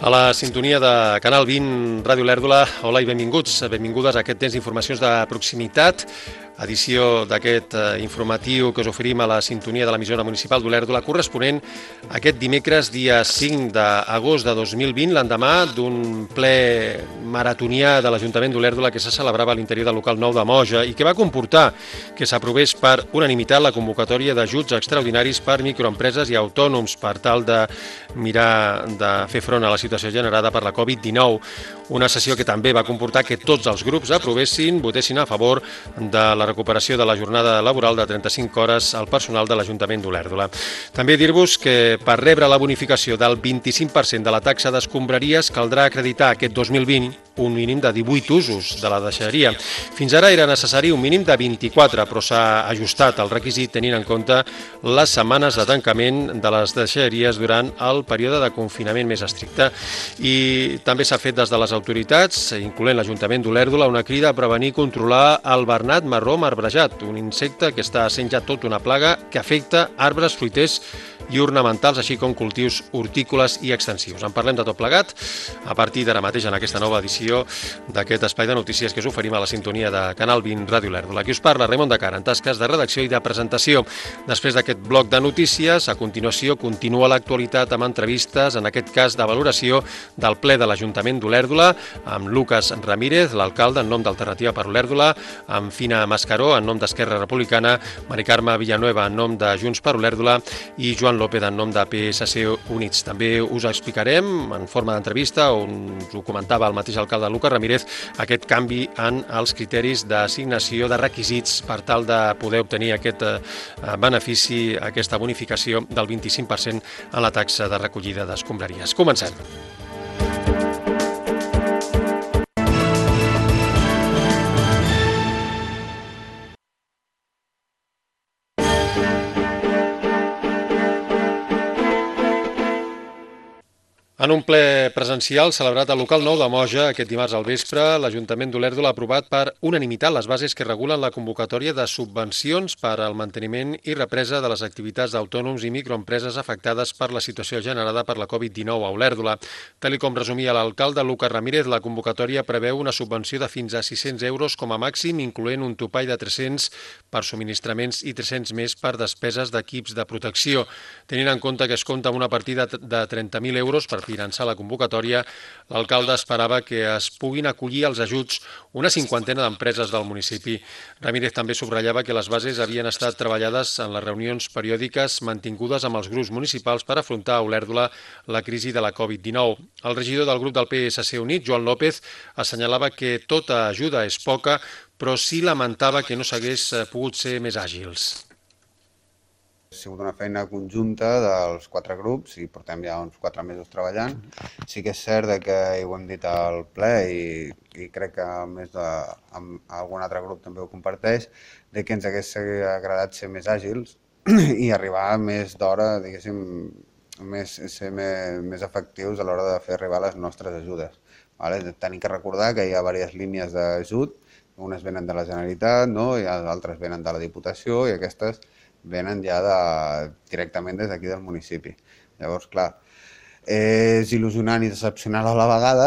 A la sintonia de Canal 20, Ràdio Lèrdula, hola i benvinguts, benvingudes a aquest temps d'informacions de proximitat, edició d'aquest informatiu que us oferim a la sintonia de l'emissora municipal d'Olèrdola, corresponent a aquest dimecres, dia 5 d'agost de 2020, l'endemà d'un ple maratonià de l'Ajuntament d'Olèrdola que se celebrava a l'interior del local 9 de Moja i que va comportar que s'aprovés per unanimitat la convocatòria d'ajuts extraordinaris per microempreses i autònoms per tal de mirar de fer front a la situació generada per la Covid-19. Una sessió que també va comportar que tots els grups votessin a favor de la recuperació de la jornada laboral de 35 hores al personal de l'Ajuntament d'Olèrdola. També dir-vos que per rebre la bonificació del 25% de la taxa d'escombraries caldrà acreditar aquest 2020 un mínim de 18 usos de la deixalleria. Fins ara era necessari un mínim de 24, però s'ha ajustat el requisit tenint en compte les setmanes de tancament de les deixalleries durant el període de confinament més estricte. I també s'ha fet des de les autoritats, incloent l'Ajuntament d'Olèrdola, una crida a prevenir i controlar el bernat marró marbrejat, un insecte que està sent ja tot una plaga que afecta arbres, fruiters i ornamentals, així com cultius hortícoles i extensius. En parlem de tot plegat a partir d'ara mateix en aquesta nova edició d'aquest espai de notícies que us oferim a la sintonia de Canal 20 Ràdio Lèrdula. Aquí us parla Raimon de Cara, en tasques de redacció i de presentació. Després d'aquest bloc de notícies, a continuació continua l'actualitat amb entrevistes, en aquest cas de valoració del ple de l'Ajuntament d'Olèrdola, amb Lucas Ramírez, l'alcalde en nom d'Alternativa per Olèrdola, amb Fina Mascaró en nom d'Esquerra Republicana, Mari Carme Villanueva en nom de Junts per Olèrdola i Joan López en nom de PSC Units. També us explicarem en forma d'entrevista, on us ho comentava el mateix alcalde Lucas Ramírez, aquest canvi en els criteris d'assignació de requisits per tal de poder obtenir aquest benefici, aquesta bonificació del 25% en la taxa de recollida d'escombraries. Comencem. En un ple presencial celebrat al local 9 de Moja aquest dimarts al vespre, l'Ajuntament d'Olèrdola ha aprovat per unanimitat les bases que regulen la convocatòria de subvencions per al manteniment i represa de les activitats d'autònoms i microempreses afectades per la situació generada per la Covid-19 a Olèrdola. Tal com resumia l'alcalde Lucas Ramírez, la convocatòria preveu una subvenció de fins a 600 euros com a màxim, incloent un topall de 300 per subministraments i 300 més per despeses d'equips de protecció. Tenint en compte que es compta amb una partida de 30.000 euros per finançar la convocatòria, l'alcalde esperava que es puguin acollir als ajuts una cinquantena d'empreses del municipi. Ramírez també subratllava que les bases havien estat treballades en les reunions periòdiques mantingudes amb els grups municipals per afrontar a Olèrdola la crisi de la Covid-19. El regidor del grup del PSC Unit, Joan López, assenyalava que tota ajuda és poca, però sí lamentava que no s'hagués pogut ser més àgils. Ha sigut una feina conjunta dels 4 grups i portem ja uns 4 mesos treballant. Sí que és cert que ho hem dit al ple i crec que més amb algun altre grup també ho comparteix, de que ens hagués agradat ser més àgils i arribar més d'hora, diguéssim, ser més efectius a l'hora de fer arribar les nostres ajudes. Tenim que recordar que hi ha diverses línies d'ajut, unes venen de la Generalitat, i altres venen de la Diputació i aquestes venen ja directament des d'aquí del municipi. Llavors, clar, és il·lusionant i decepcionant a la vegada,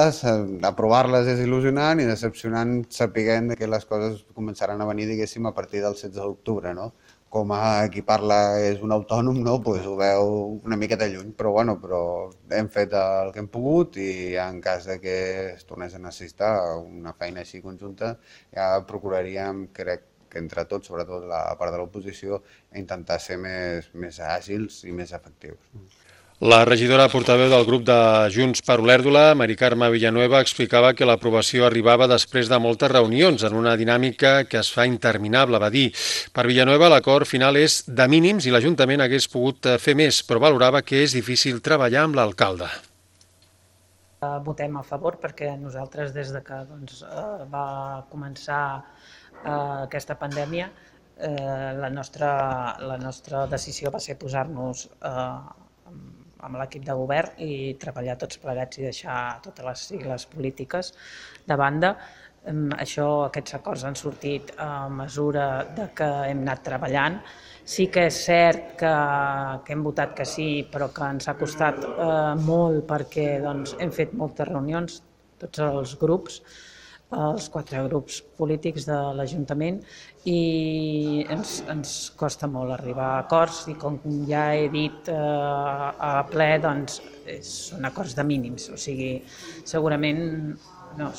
aprovar-les és il·lusionant i decepcionant sapiguent que les coses començaran a venir, diguéssim, a partir del 16 d'octubre, no? Com a qui parla és un autònom, doncs ho veu una miqueta lluny, però hem fet el que hem pogut i en cas que es tornés a necessitar una feina així conjunta, ja procuraríem, crec, que entre tots, sobretot la part de l'oposició, intentar ser més àgils i més efectius. La regidora portaveu del grup de Junts per Olèrdola, Mari Carme Villanueva, explicava que l'aprovació arribava després de moltes reunions en una dinàmica que es fa interminable, va dir. Per Villanueva, l'acord final és de mínims i l'Ajuntament hagués pogut fer més, però valorava que és difícil treballar amb l'alcalde. Votem a favor perquè nosaltres, des que va començar aquesta pandèmia, la nostra decisió va ser posar-nos amb l'equip de govern i treballar tots plegats i deixar totes les sigles polítiques de banda. Aquests acords han sortit a mesura de que hem anat treballant. Sí que és cert que hem votat que sí, però que ens ha costat molt perquè hem fet moltes reunions, tots els grups, els 4 grups polítics de l'Ajuntament, i ens costa molt arribar a acords, i com ja he dit a ple, doncs són acords de mínims, o sigui, segurament no.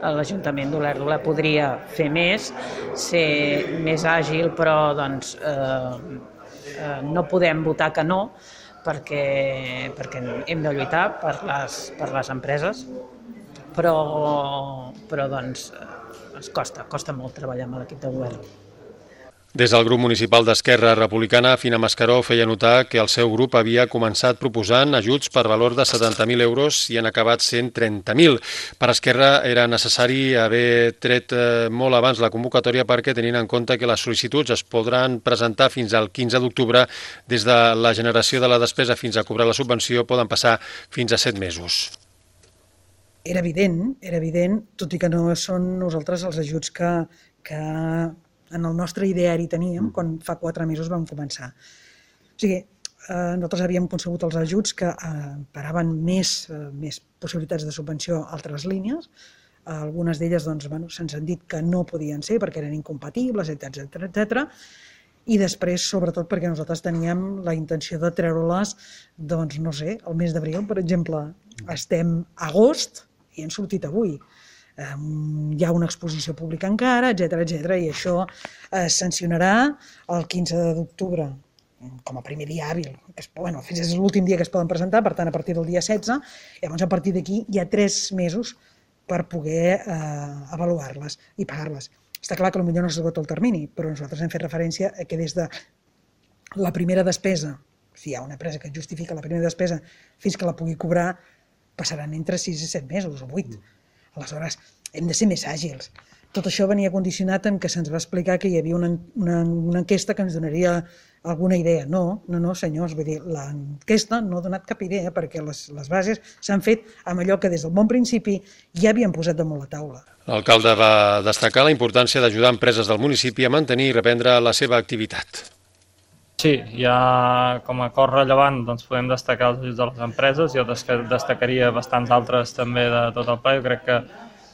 L'Ajuntament d'Olèrdola podria fer més, ser més àgil, però no podem votar que no, perquè hem de lluitar per les empreses, però ens costa molt treballar amb l'equip de govern. Des del grup municipal d'Esquerra Republicana, Fina Mascaró feia notar que el seu grup havia començat proposant ajuts per valor de 70.000 euros i han acabat sent 30.000. Per Esquerra era necessari haver tret molt abans la convocatòria perquè, tenint en compte que les sol·licituds es podran presentar fins al 15 d'octubre, des de la generació de la despesa fins a cobrar la subvenció poden passar fins a 7 mesos. Era evident, tot i que no són nosaltres els ajuts que en el nostre ideari teníem quan fa 4 mesos vam començar. O sigui, nosaltres havíem concebut els ajuts que paraven més possibilitats de subvenció a altres línies. Algunes d'elles se'ns han dit que no podien ser perquè eren incompatibles, etc. I després, sobretot, perquè nosaltres teníem la intenció de treure-les, el mes d'abril, per exemple. Estem a agost i han sortit avui. Hi ha una exposició pública encara, etc. I això es sancionarà el 15 d'octubre com a primer dia hàbil. Fins és l'últim dia que es poden presentar, per tant, a partir del dia 16. Llavors, a partir d'aquí, hi ha 3 mesos per poder avaluar-les i pagar-les. Està clar que potser no s'esgota el termini, però nosaltres hem fet referència a que des de la primera despesa, si hi ha una empresa que justifica la primera despesa, fins que la pugui cobrar, passaran entre 6 i 7 mesos o 8. Aleshores, hem de ser més àgils. Tot això venia condicionat en que se'ns va explicar que hi havia una enquesta que ens donaria alguna idea. No, senyors, vull dir, l'enquesta no ha donat cap idea perquè les bases s'han fet amb allò que des del bon principi ja havien posat damunt la taula. L'alcalde va destacar la importància d'ajudar empreses del municipi a mantenir i reprendre la seva activitat. Sí, ja com a acord rellevant podem destacar els ajuts de les empreses. Jo destacaria bastants altres també de tot el ple. Jo crec que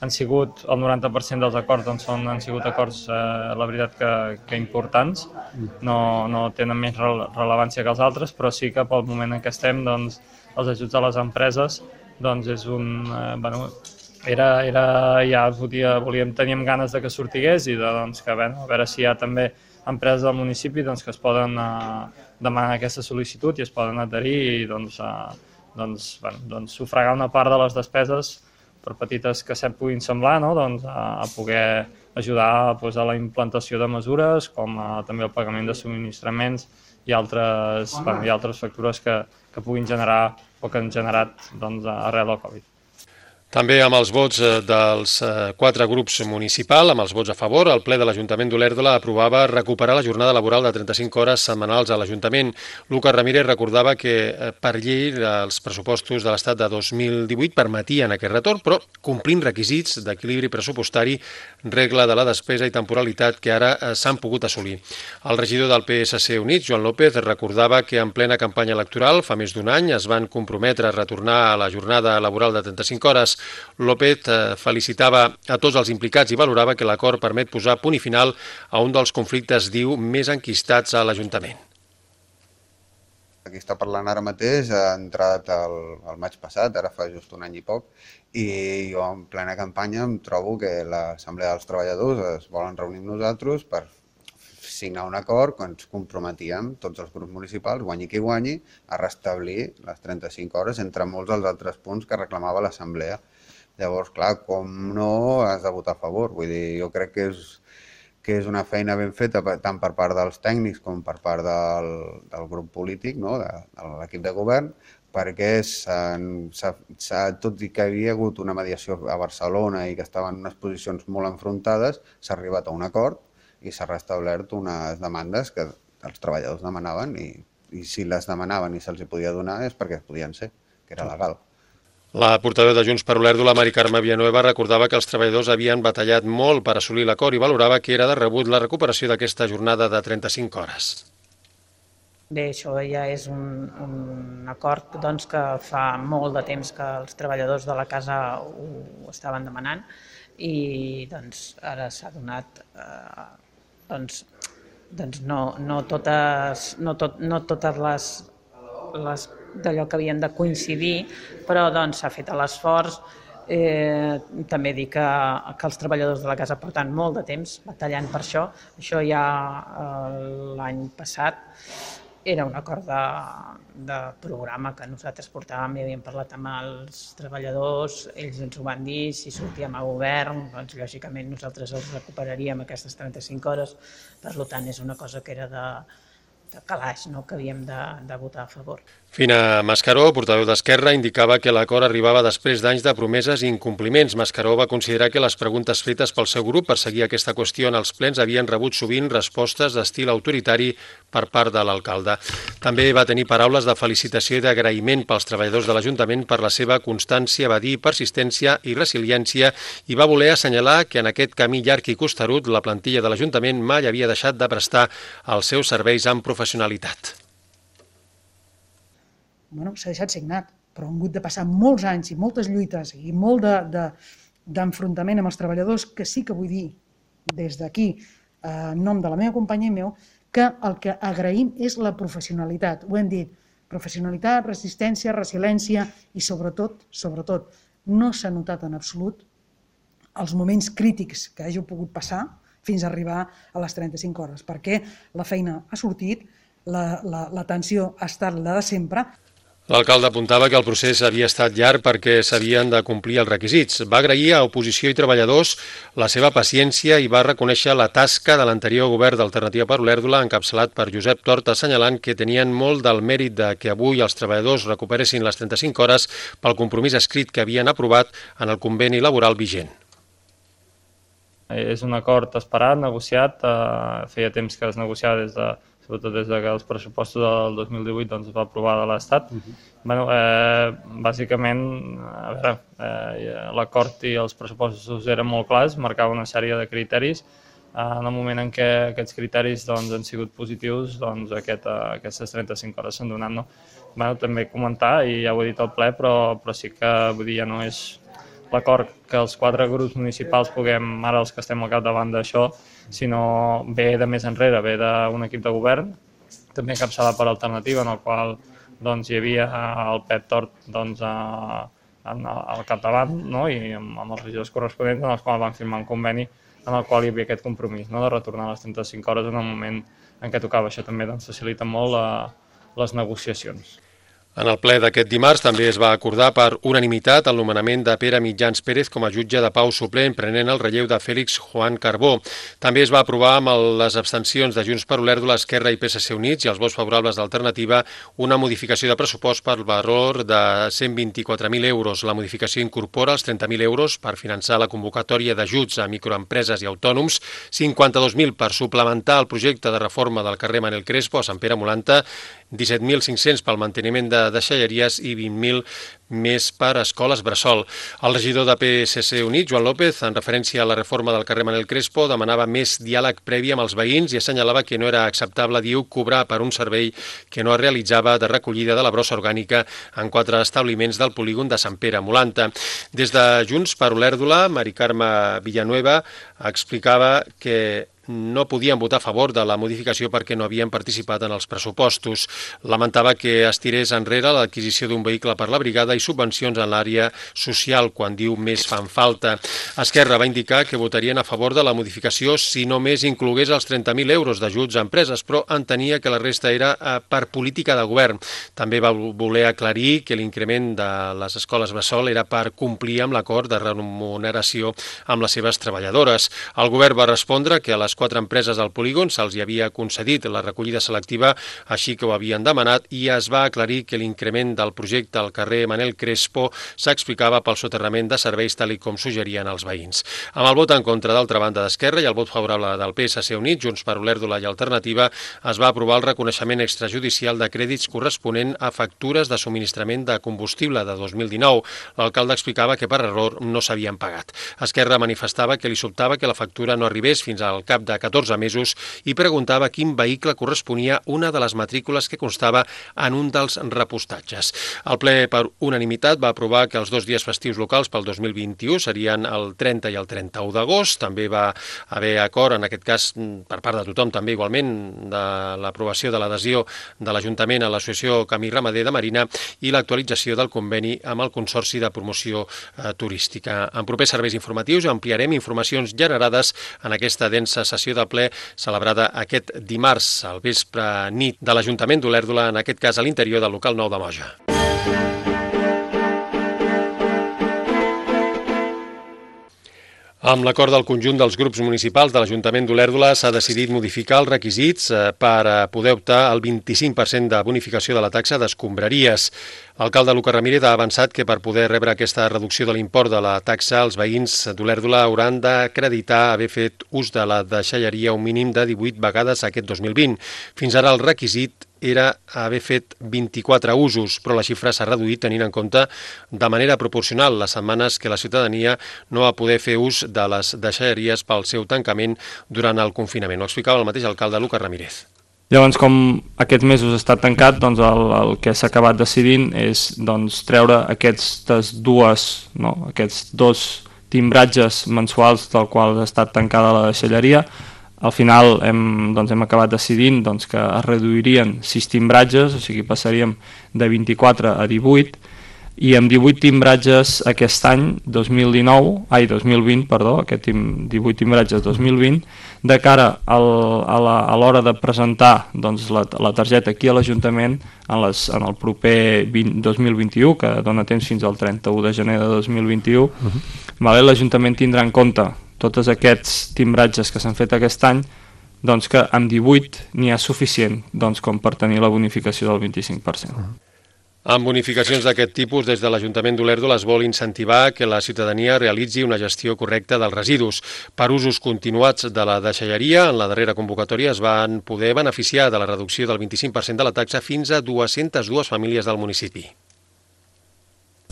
han sigut, el 90% dels acords han sigut acords, la veritat, que importants. No tenen més rellevància que els altres, però sí que pel moment en què estem, els ajuts a les empreses és un... Teníem ganes de que sortigués i a veure si hi ha també empreses del municipi que es poden demanar aquesta sol·licitud i es poden adherir i sufragar una part de les despeses, per petites que puguin semblar, a poder ajudar a la implantació de mesures, com també el pagament de subministraments i altres factures que puguin generar o que han generat arrel del Covid. També amb els vots dels 4 grups municipals, amb els vots a favor, el ple de l'Ajuntament d'Olèrdola aprovava recuperar la jornada laboral de 35 hores setmanals a l'Ajuntament. Lucas Ramírez recordava que per llei els pressupostos de l'Estat de 2018 permetien aquest retorn, però complint requisits d'equilibri pressupostari, regla de la despesa i temporalitat que ara s'han pogut assolir. El regidor del PSC Units, Joan López, recordava que en plena campanya electoral, fa més d'un any, es van comprometre a retornar a la jornada laboral de 35 hores. López felicitava a tots els implicats i valorava que l'acord permet posar punt i final a un dels conflictes, diu, més enquistats a l'Ajuntament. Aquí està parlant ara mateix, ha entrat el maig passat, ara fa just un any i poc, i jo en plena campanya em trobo que l'Assemblea dels Treballadors es volen reunir amb nosaltres per signar un acord que ens comprometíem tots els grups municipals, guanyi qui guanyi, a restablir les 35 hores entre molts dels altres punts que reclamava l'Assemblea. Llavors, clar, com no has de votar a favor? Vull dir, jo crec que és una feina ben feta tant per part dels tècnics com per part del grup polític, de l'equip de govern, perquè tot i que hi havia hagut una mediació a Barcelona i que estaven en unes posicions molt enfrontades, s'ha arribat a un acord i s'ha restablert unes demandes que els treballadors demanaven i si les demanaven i se'ls podia donar és perquè es podien ser, que era legal. La portaveu de Junts per Olèrdola, Mari Carme Villanueva, recordava que els treballadors havien batallat molt per assolir l'acord i valorava que era de rebut la recuperació d'aquesta jornada de 35 hores. Bé, això ja és un acord doncs, que fa molt de temps que els treballadors de la casa ho estaven demanant i doncs, ara s'ha donat no totes les d'allò que havien de coincidir, però doncs, s'ha fet l'esforç. També dir que els treballadors de la casa porten molt de temps batallant per això. Això ja l'any passat era un acord de programa que nosaltres portàvem i havíem parlat amb els treballadors, ells ens ho van dir, si sortíem a govern, doncs lògicament nosaltres els recuperaríem aquestes 35 hores, per tant és una cosa que era de calaix, no? Que havíem de votar a favor. Fina Mascaró, portaveu d'Esquerra, indicava que l'acord arribava després d'anys de promeses i incompliments. Mascaró va considerar que les preguntes fetes pel seu grup per seguir aquesta qüestió en els plens havien rebut sovint respostes d'estil autoritari per part de l'alcalde. També va tenir paraules de felicitació i d'agraïment pels treballadors de l'Ajuntament per la seva constància, va dir, persistència i resiliència, i va voler assenyalar que en aquest camí llarg i costerut la plantilla de l'Ajuntament mai havia deixat de prestar els seus serveis amb professionalitat. S'ha deixat signat, però han hagut de passar molts anys i moltes lluites i molt d'enfrontament amb els treballadors, que sí que vull dir des d'aquí, en nom de la meva companya i meu, que el que agraïm és la professionalitat. Ho hem dit, professionalitat, resistència, resiliència i sobretot, no s'ha notat en absolut els moments crítics que hàgiu pogut passar fins a arribar a les 35 hores, perquè la feina ha sortit, la tensió ha estat la de sempre. L'alcalde apuntava que el procés havia estat llarg perquè s'havien de complir els requisits. Va agrair a oposició i treballadors la seva paciència i va reconèixer la tasca de l'anterior govern d'Alternativa per Olèrdola, encapçalat per Josep Tort, assenyalant que tenien molt del mèrit de que avui els treballadors recuperessin les 35 hores pel compromís escrit que havien aprovat en el conveni laboral vigent. És un acord esperat, negociat, feia temps que es negociava sobretot des que els pressupostos del 2018 doncs, es va aprovar de l'Estat. Bàsicament, l'acord i els pressupostos eren molt clars, marcava una sèrie de criteris. En el moment en què aquests criteris doncs, han sigut positius, doncs, aquestes 35 hores s'han donat. No? També comentar, i ja ho he dit al ple, però sí que vull dir, ja no és l'acord que els 4 grups municipals puguem, ara els que estem al capdavant d'això, sinó ve de més enrere, ve d'un equip de govern, també encapçalat per Alternativa, en el qual doncs, hi havia el Pep Tort doncs, al capdavant, no? I amb els regidors corresponents, en els quals van firmar un conveni en el qual hi havia aquest compromís, no? De retornar a les 35 hores en el moment en què tocava. Això també doncs, facilita molt les negociacions. En el ple d'aquest dimarts també es va acordar per unanimitat el nomenament de Pere Mitjans Pérez com a jutge de pau suplent, prenent el relleu de Félix Juan Carbó. També es va aprovar amb les abstencions de Junts per Olèrdola, Esquerra i PSC Units i els vots favorables d'Alternativa una modificació de pressupost per valor de 124.000 euros. La modificació incorpora els 30.000 euros per finançar la convocatòria d'ajuts a microempreses i autònoms, 52.000 per suplementar el projecte de reforma del carrer Manel Crespo a Sant Pere Molanta, 17.500 pel manteniment de deixalleries i 20.000 més per escoles bressol. El regidor de PSC Units, Joan López, en referència a la reforma del carrer Manel Crespo, demanava més diàleg previ amb els veïns i assenyalava que no era acceptable, diu, cobrar per un servei que no es realitzava de recollida de la brossa orgànica en 4 establiments del polígon de Sant Pere Molanta. Des de Junts per Olèrdola, Mari Carme Villanueva explicava que no podien votar a favor de la modificació perquè no havien participat en els pressupostos. Lamentava que es tirés enrere l'adquisició d'un vehicle per la brigada i subvencions en l'àrea social, quan diu més fan falta. Esquerra va indicar que votarien a favor de la modificació si només inclogués els 30.000 euros d'ajuts a empreses, però entenia que la resta era per política de govern. També va voler aclarir que l'increment de les escoles bressol era per complir amb l'acord de remuneració amb les seves treballadores. El govern va respondre que a les les 4 empreses del polígon se'ls havia concedit la recollida selectiva, així que ho havien demanat, i es va aclarir que l'increment del projecte al carrer Manel Crespo s'explicava pel soterrament de serveis tal com suggerien els veïns. Amb el vot en contra d'altra banda d'Esquerra i el vot favorable del PSC Unit, Junts per Olèrdola i Alternativa, es va aprovar el reconeixement extrajudicial de crèdits corresponent a factures de subministrament de combustible de 2019. L'alcalde explicava que per error no s'havien pagat. Esquerra manifestava que li sobtava que la factura no arribés fins al cap de 14 mesos i preguntava quin vehicle corresponia una de les matrícules que constava en un dels repostatges. El ple, per unanimitat, va aprovar que els 2 dies festius locals pel 2021 serien el 30 i el 31 d'agost. També va haver acord, en aquest cas per part de tothom, també igualment, de l'aprovació de l'adhesió de l'Ajuntament a l'Associació Camí Ramader de Marina i l'actualització del conveni amb el Consorci de Promoció Turística. En propers serveis informatius ampliarem informacions generades en aquesta densa sessió de ple celebrada aquest dimarts al vespre nit de l'Ajuntament d'Olèrdola, en aquest cas a l'interior del local 9 de Moja. Amb l'acord del conjunt dels grups municipals de l'Ajuntament d'Olèrdola s'ha decidit modificar els requisits per poder optar al 25% de bonificació de la taxa d'escombraries. L'alcalde Lucas Ramírez ha avançat que per poder rebre aquesta reducció de l'import de la taxa, els veïns d'Olèrdola hauran d'acreditar haver fet ús de la deixalleria un mínim de 18 vegades aquest 2020. Fins ara el requisit era haver fet 24 usos, però la xifra s'ha reduït tenint en compte de manera proporcional les setmanes que la ciutadania no va poder fer ús de les deixalleries pel seu tancament durant el confinament. Ho explicava el mateix alcalde Lucas Ramírez. Llavors, com aquests mesos ha estat tancat, doncs el que s'ha acabat decidint és treure aquests dos timbratges mensuals del qual ha estat tancada la deixalleria. Al final hem acabat decidint que es reduirien 6 timbratges, o sigui, passaríem de 24 a 18, i amb 18 timbratges aquest any, 2020, aquest 18 timbratges 2020, de cara a l'hora de presentar la targeta aquí a l'Ajuntament en el proper 2021, que dona temps fins al 31 de gener de 2021, l'Ajuntament tindrà en compte tots aquests timbratges que s'han fet aquest any, que amb 18 n'hi ha suficient com per tenir la bonificació del 25%. Amb bonificacions d'aquest tipus, des de l'Ajuntament d'Olèrdola es vol incentivar que la ciutadania realitzi una gestió correcta dels residus. Per usos continuats de la deixalleria, en la darrera convocatòria es van poder beneficiar de la reducció del 25% de la taxa fins a 202 famílies del municipi.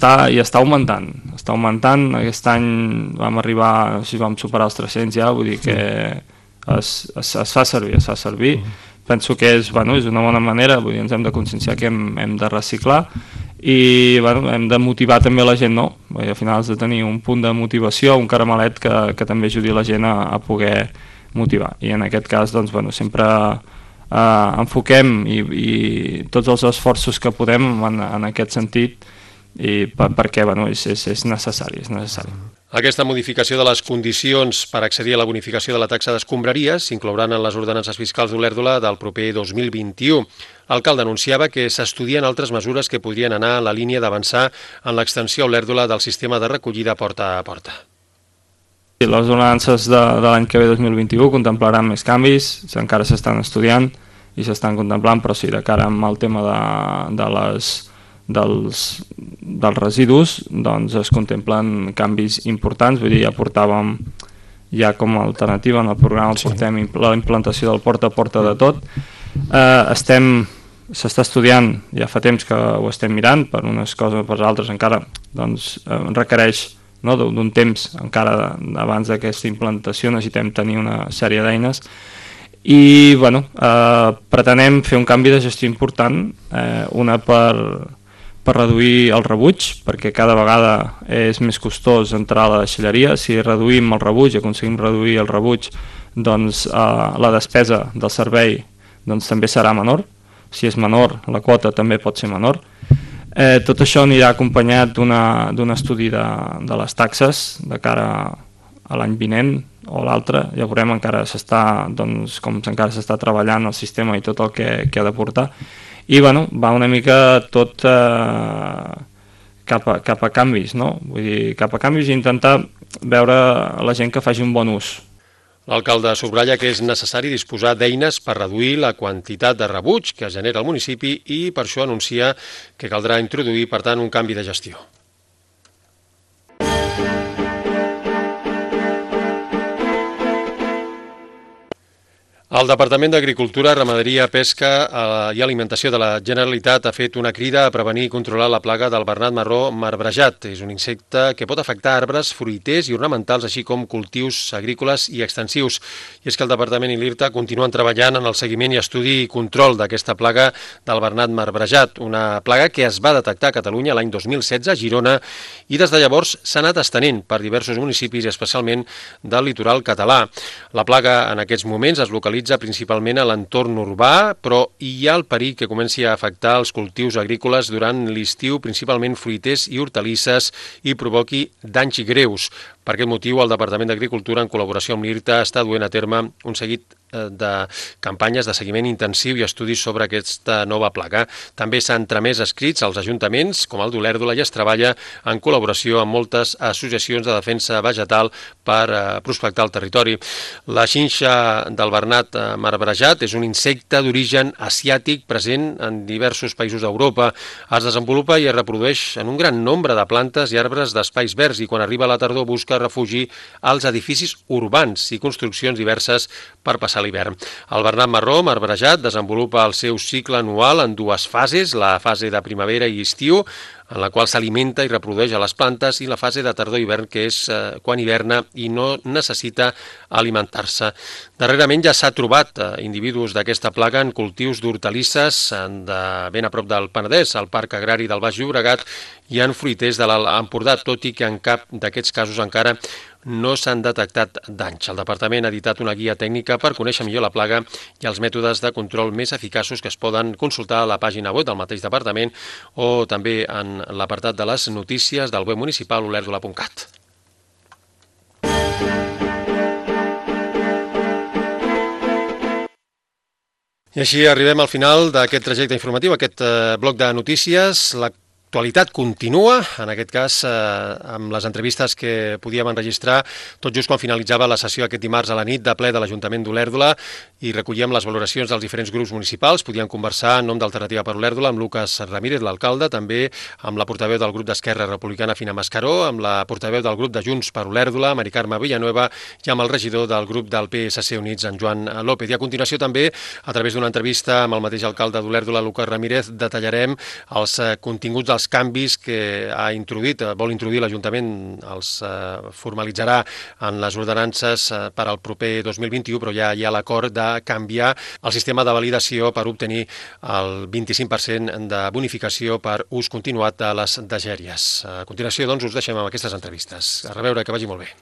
I està augmentant. Aquest any vam superar els 300 ja, vull dir que es fa servir. Penso que és una bona manera, vull dir, ens hem de conscienciar que hem de reciclar i hem de motivar també la gent, no? Al final has de tenir un punt de motivació, un caramelet que també ajudi la gent a poder motivar. I en aquest cas, sempre enfoquem i tots els esforços que podem en aquest sentit, perquè és necessari. Aquesta modificació de les condicions per accedir a la bonificació de la taxa d'escombraries s'inclouran en les ordenances fiscals d'Olèrdola del proper 2021. L'alcalde anunciava que s'estudien altres mesures que podrien anar en la línia d'avançar en l'extensió a Olèrdola del sistema de recollida porta a porta. Les ordenances de l'any que ve 2021 contemplaran més canvis, encara s'estan estudiant i s'estan contemplant, però sí, de cara al tema dels residus es contemplen canvis importants, vull dir, ja portàvem com a alternativa en el programa portem la implantació del porta a porta de tot. S'està estudiant, ja fa temps que ho estem mirant, per unes coses o per altres encara requereix d'un temps encara abans d'aquesta implantació, necessitem tenir una sèrie d'eines i pretenem fer un canvi de gestió important, una per reduir el rebuig, perquè cada vegada és més costós entrar a la deixalleria. Si reduïm el rebuig, aconseguim reduir el rebuig, la despesa del servei també serà menor. Si és menor, la quota també pot ser menor. Tot això anirà acompanyat d'un estudi de les taxes de cara a l'any vinent o l'altre. Ja veurem, encara encara s'està treballant el sistema i tot el que ha de portar. I va una mica tot cap a canvis, no? Vull dir, cap a canvis i intentar veure la gent que faci un bon ús. L'alcalde subratlla que és necessari disposar d'eines per reduir la quantitat de rebuig que genera el municipi i per això anuncia que caldrà introduir, per tant, un canvi de gestió. El Departament d'Agricultura, Ramaderia, Pesca i Alimentació de la Generalitat ha fet una crida a prevenir i controlar la plaga del bernat marró marbrejat. És un insecte que pot afectar arbres, fruiters i ornamentals, així com cultius agrícoles i extensius. I és que el Departament i l'IRTA continuen treballant en el seguiment i estudi i control d'aquesta plaga del bernat marbrejat, una plaga que es va detectar a Catalunya l'any 2016 a Girona i des de llavors s'ha anat estenent per diversos municipis i especialment del litoral català. La plaga en aquests moments es localitza principalment a l'entorn urbà, però hi ha el perill que comenci a afectar els cultius agrícoles durant l'estiu, principalment fruiters i hortalisses, i provoqui danys greus. Per aquest motiu, el Departament d'Agricultura, en col·laboració amb l'IRTA, està duent a terme un seguit de campanyes de seguiment intensiu i estudis sobre aquesta nova plaga. També s'han tramès escrits als ajuntaments, com el d'Olèrdola, i es treballa en col·laboració amb moltes associacions de defensa vegetal per prospectar el territori. La xinxa del bernat marbrejat és un insecte d'origen asiàtic present en diversos països d'Europa. Es desenvolupa i es reprodueix en un gran nombre de plantes i arbres d'espais verds i quan arriba la tardor busca refugi als edificis urbans i construccions diverses per passar l'hivern. El bernat marró marbrejat desenvolupa el seu cicle anual en dues fases, la fase de primavera i estiu, en la qual s'alimenta i reprodueix a les plantes, i la fase de tardor-hivern, que és quan hiverna i no necessita alimentar-se. Darrerament ja s'ha trobat individus d'aquesta plaga en cultius d'hortalisses de ben a prop del Penedès, al Parc Agrari del Baix Llobregat i en fruiters de l'Alt Empordà, tot i que en cap d'aquests casos encara no s'han detectat danys. El Departament ha editat una guia tècnica per conèixer millor la plaga i els mètodes de control més eficaços que es poden consultar a la pàgina web del mateix departament o també en l'apartat de les notícies del web municipal olèrdola.cat. I així arribem al final d'aquest trajecte informatiu, aquest bloc de notícies. L'actualitat continua, en aquest cas amb les entrevistes que podíem enregistrar tot just quan finalitzava la sessió aquest dimarts a la nit de ple de l'Ajuntament d'Olèrdola i recollíem les valoracions dels diferents grups municipals. Podíem conversar en nom d'Alternativa per Olèrdola amb Lucas Ramírez, l'alcalde, també amb la portaveu del grup d'Esquerra Republicana, Fina Mascaró, amb la portaveu del grup de Junts per Olèrdola, Mari Carme Villanueva, i amb el regidor del grup del PSC Units, en Joan López. I a continuació també, a través d'una entrevista amb el mateix alcalde d'Olèrdola, Lucas Ramírez, detallarem els continguts dels canvis que vol introduir l'Ajuntament, els formalitzarà en les ordenances per al proper 2021, però ja hi ha l'acord de canviar el sistema de validació per obtenir el 25% de bonificació per ús continuat de les degèries. A continuació, doncs, us deixem amb aquestes entrevistes. A reveure, que vagi molt bé.